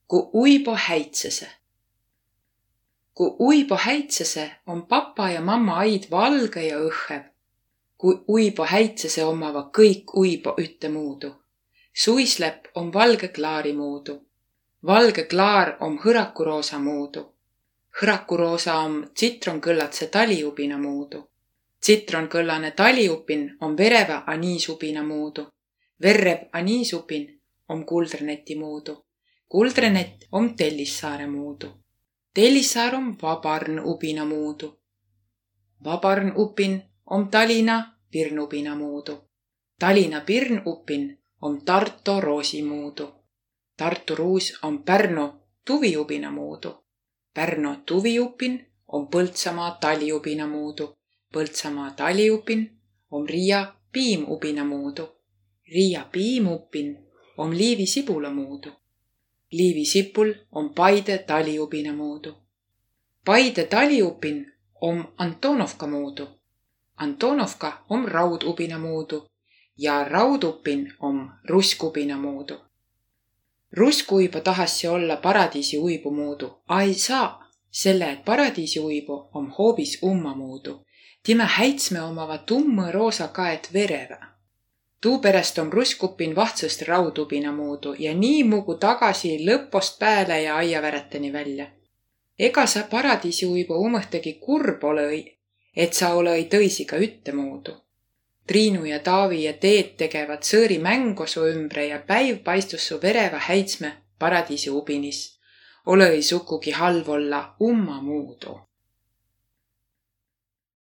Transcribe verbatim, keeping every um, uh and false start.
Ku uibo häitsese. Ku uibo häitsese, om papa ja mamma aid valgõ ja õhhev. Ku uibo häitsese, ommava kõik uibo üttemuudu. Suislepp om valgõ klaari muudu. Valgõ klaar om hõrakuroosa muudu. Hõrakuroosa om tsitronkõllatse taliubina muudu. Tsitronkõllane taliupin om verevä aniisubina muudu. Verrev aniisupin om guldreneti muudu. Guldrenet om Tellissaare muudu. Tellissaar om vabarnubina muudu. Vabarnupin om Talina pirnubina muudu. Talina pirnupin om Tarto roosi muudu. Tarto ruus om Pärno tuviubina muudu. Pärno tuviupin om Põltsamaa taliubina muudu. Põltsamaa taliupin om Ria piimubina muudu. Ria piimupin om Liivi sibula muudu. Liivi sipul om Paide taliubina muudu. Paide taliupin om Antonovka muudu. Antonovka om raudubina muudu ja raudupin om ruskubina muudu. Ruskuibo tahassi olla paradiisi uibu muudu, a ei saa, selle et paradiisi uibu om hoobis umma muudu. Timä häitsme omava tummõ roosa kaet verevä. Tuuperäst om ruskupin vahtsõst raudubina muudu ja nii mugu tagasi lõpost pääle ja aiaväräteni vällä. Ega sa paradiisi uibu umõhtagi kurb olõ-i, et sa olõ-i tõisiga üttemuudu. Triinu ja Taavi ja Teet tegevat sõõri mängo su ümbre ja päiv paistus su verevä häitsme paradiisi ubinis. Olõ-i sukugi halv olla umma muudu.